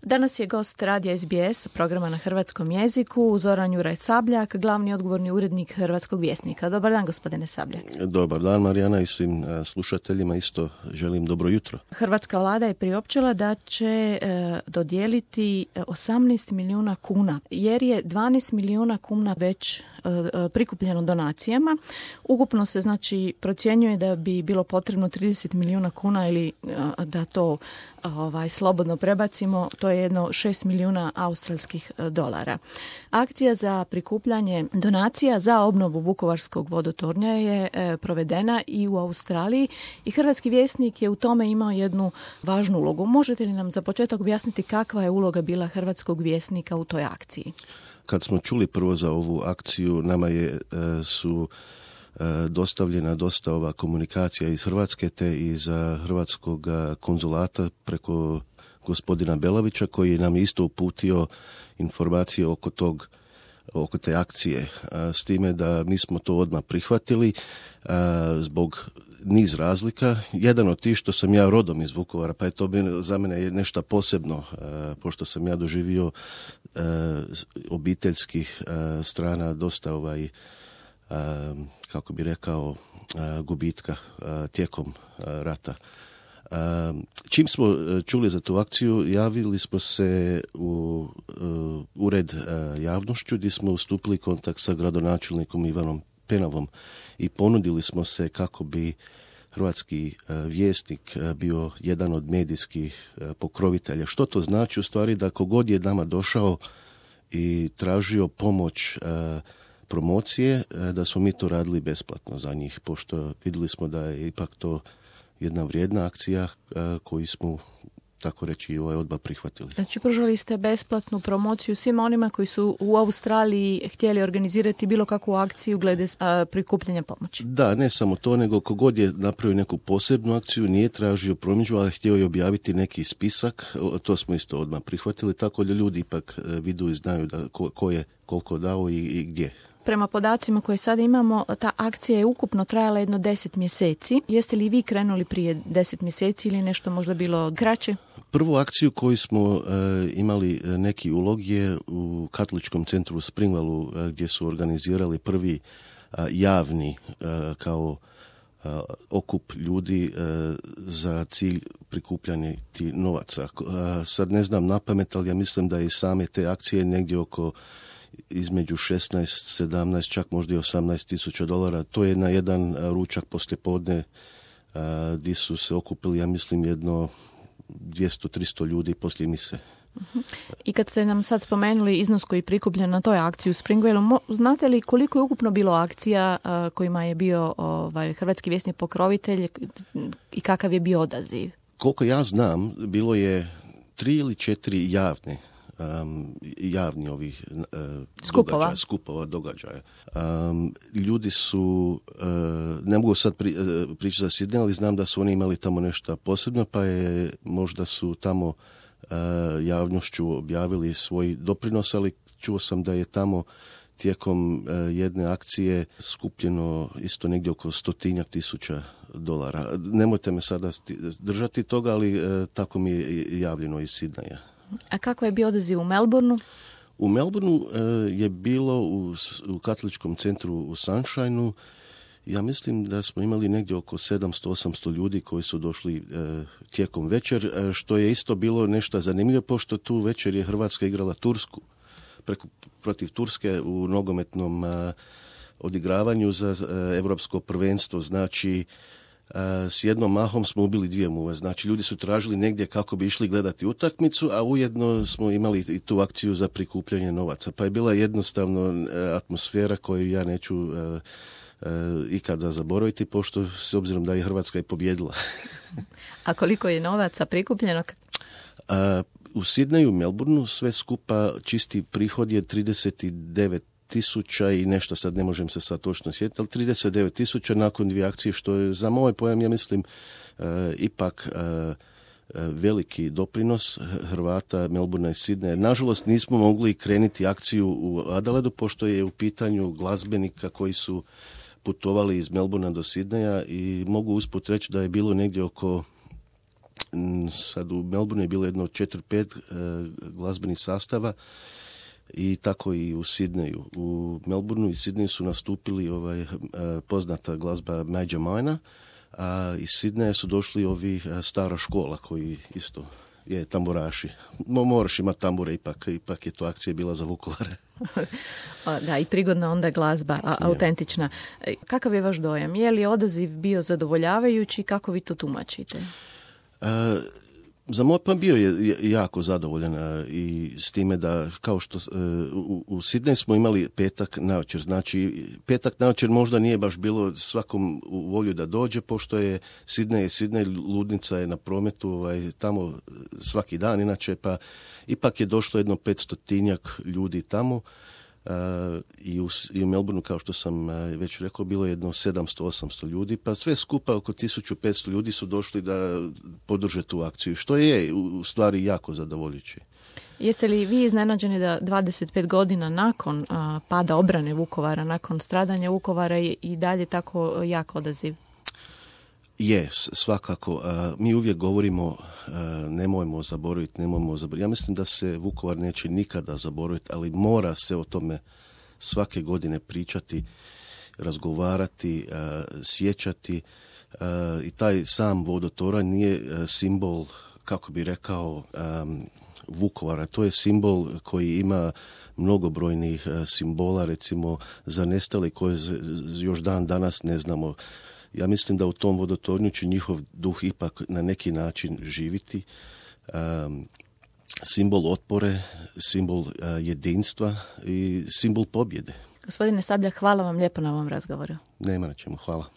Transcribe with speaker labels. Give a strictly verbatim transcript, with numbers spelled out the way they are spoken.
Speaker 1: Danas je gost radija S B S, programa na hrvatskom jeziku, Zoran Juraj Sabljak, glavni odgovorni urednik Hrvatskog vjesnika. Dobar dan, gospodine Sabljak.
Speaker 2: Dobar dan, Marijana, i svim slušateljima isto želim dobro jutro.
Speaker 1: Hrvatska vlada je priopćila da će e, dodijeliti osamnaest milijuna kuna, jer je dvanaest milijuna kuna već e, prikupljeno donacijama. Ukupno se znači procjenjuje da bi bilo potrebno trideset milijuna kuna ili e, da to ovaj, slobodno prebacimo, to je jedno šest milijuna australskih dolara. Akcija za prikupljanje donacija za obnovu Vukovarskog vodotornja je e, provedena i u Australiji i Hrvatski vjesnik je u tome imao jednu važnu ulogu. Možete li nam za početak objasniti kakva je uloga bila Hrvatskog vjesnika u toj akciji?
Speaker 2: Kad smo čuli prvo za ovu akciju, nama je e, su e, dostavljena dosta ova komunikacija iz Hrvatske te iz Hrvatskog konzulata preko gospodina Belavića, koji nam je isto uputio informacije oko tog, oko te akcije, s time da mi smo to odmah prihvatili zbog niz razlika. Jedan od tih što sam ja rodom iz Vukovara, pa je to za mene nešto posebno, pošto sam ja doživio obiteljskih strana dosta ovaj, kako bi rekao, gubitka tijekom rata. Čim smo čuli za tu akciju, javili smo se u uh, ured uh, javnošću gdje smo ustupili kontakt sa gradonačelnikom Ivanom Penavom i ponudili smo se kako bi Hrvatski uh, vjesnik uh, bio jedan od medijskih uh, pokrovitelja. Što to znači? U stvari da kogod je nama došao i tražio pomoć uh, promocije, uh, da smo mi to radili besplatno za njih, pošto vidjeli smo da je ipak to jedna vrijedna akcija koju smo, tako reći, ovaj odmah prihvatili.
Speaker 1: Znači, pružali ste besplatnu promociju svima onima koji su u Australiji htjeli organizirati bilo kakvu akciju glede a, prikupljanja pomoći.
Speaker 2: Da, ne samo to, nego kogod je napravio neku posebnu akciju, nije tražio promidžbu, ali htio je objaviti neki spisak, to smo isto odmah prihvatili, tako da ljudi ipak vidu i znaju da ko, ko je koliko dao i, i gdje.
Speaker 1: Prema podacima koje sad imamo, ta akcija je ukupno trajala jedno deset mjeseci. Jeste li vi krenuli prije deset mjeseci ili nešto možda bilo kraće?
Speaker 2: Prvu akciju koju smo uh, imali neki ulog je u Katoličkom centru u Springvallu, uh, gdje su organizirali prvi uh, javni uh, kao uh, okup ljudi uh, za cilj prikupljanja ti novaca. Uh, sad ne znam napamet, ali ja mislim da i same te akcije negdje oko između šesnaest, sedamnaest, čak možda i osamnaest tisuća dolara. To je na jedan ručak poslijepodne gdje su se okupili, ja mislim, jedno dvjesto do tristo ljudi poslije mise.
Speaker 1: Uh-huh. I kad ste nam sad spomenuli iznos koji je prikupljen na toj akciji u Springvallu, znate li koliko je ukupno bilo akcija uh, kojima je bio ovaj, Hrvatski vjesnik pokrovitelj i kakav je bio odaziv?
Speaker 2: Koliko ja znam, bilo je tri ili četiri javne Um, javni ovih uh,
Speaker 1: skupova.
Speaker 2: događaja, skupova, događaja. Um, ljudi su, uh, ne mogu sad pri, uh, pričati za Sidney, ali znam da su oni imali tamo nešto posebno, pa je možda su tamo uh, javnošću objavili svoj doprinos, ali čuo sam da je tamo tijekom uh, jedne akcije skupljeno isto negdje oko stotinjak tisuća dolara. Nemojte me sada držati toga, ali uh, tako mi je javljeno iz Sidneya.
Speaker 1: A kako je bio odaziv u Melbourneu?
Speaker 2: U Melbourneu uh, je bilo u, u Katoličkom centru u Sunshineu, ja mislim da smo imali negdje oko sedamsto do osamsto ljudi koji su došli uh, tijekom večer, uh, što je isto bilo nešto zanimljivo, pošto tu večer je Hrvatska igrala Tursku, preko, protiv Turske u nogometnom uh, odigravanju za uh, Europsko prvenstvo, znači s jednom mahom smo ubili dvije muve. Znači, ljudi su tražili negdje kako bi išli gledati utakmicu, a ujedno smo imali i tu akciju za prikupljanje novaca. Pa je bila jednostavno atmosfera koju ja neću uh, uh, ikada zaboraviti, pošto s obzirom da je Hrvatska i pobjedila.
Speaker 1: A koliko je novaca prikupljeno?
Speaker 2: Uh, u Sidneyu, Melbourneu, sve skupa čisti prihod je trideset devet tisuća i nešto, sad ne možem se sad točno sjetiti, ali trideset devet tisuća nakon dvije akcije, što je za moj pojam, ja mislim, uh, ipak uh, veliki doprinos Hrvata, Melbournea i Sidneya. Nažalost, nismo mogli krenuti akciju u Adelaidu, pošto je u pitanju glazbenika koji su putovali iz Melbournea do Sidneya i mogu usput reći da je bilo negdje oko sad u Melbourneu je bilo jedno četiri pet uh, glazbenih sastava i tako i u Sidneju. U Melbourneu i Sidneju su nastupili ovaj, uh, poznata glazba Major Minor, a iz Sidneja su došli ovi uh, stara škola koji isto je tamburaši. Moraš imati tambure, ipak, ipak je to akcija bila za Vukovare.
Speaker 1: Da, i prigodna onda glazba, a, autentična. Kakav je vaš dojam? Je li odaziv bio zadovoljavajući? Kako vi to tumačite?
Speaker 2: Uh, Za moj plan bio je jako zadovoljan i s time da, kao što u, u Sidneju smo imali petak navečer, znači petak navečer možda nije baš bilo svakom u volju da dođe, pošto je Sidnej, Sidnej ludnica je na prometu ovaj, tamo svaki dan, inače pa ipak je došlo jedno petstotinjak ljudi tamo. Uh, i, u, i u Melbourneu, kao što sam uh, već rekao, bilo je jedno sedamsto osamsto ljudi, pa sve skupa oko tisuću petsto ljudi su došli da podrže tu akciju, što je u, u stvari jako zadovoljujuće.
Speaker 1: Jeste li vi iznenađeni da dvadeset pet godina nakon uh, pada obrane Vukovara, nakon stradanja Vukovara i, i dalje tako jak odaziv?
Speaker 2: Je, svakako. Uh, mi uvijek govorimo uh, nemojmo zaboraviti, nemojmo zaboraviti. Ja mislim da se Vukovar neće nikada zaboraviti, ali mora se o tome svake godine pričati, razgovarati, uh, sjećati. Uh, I taj sam vodotoranj nije uh, simbol, kako bi rekao, um, Vukovara. To je simbol koji ima mnogobrojnih uh, simbola, recimo za nestale koje još dan danas ne znamo. Ja mislim da u tom vodotornju će njihov duh ipak na neki način živiti. Um, simbol otpore, simbol uh, jedinstva i simbol pobjede.
Speaker 1: Gospodine Sabljak, hvala vam lijepo na ovom razgovoru.
Speaker 2: Nema na čemu, hvala.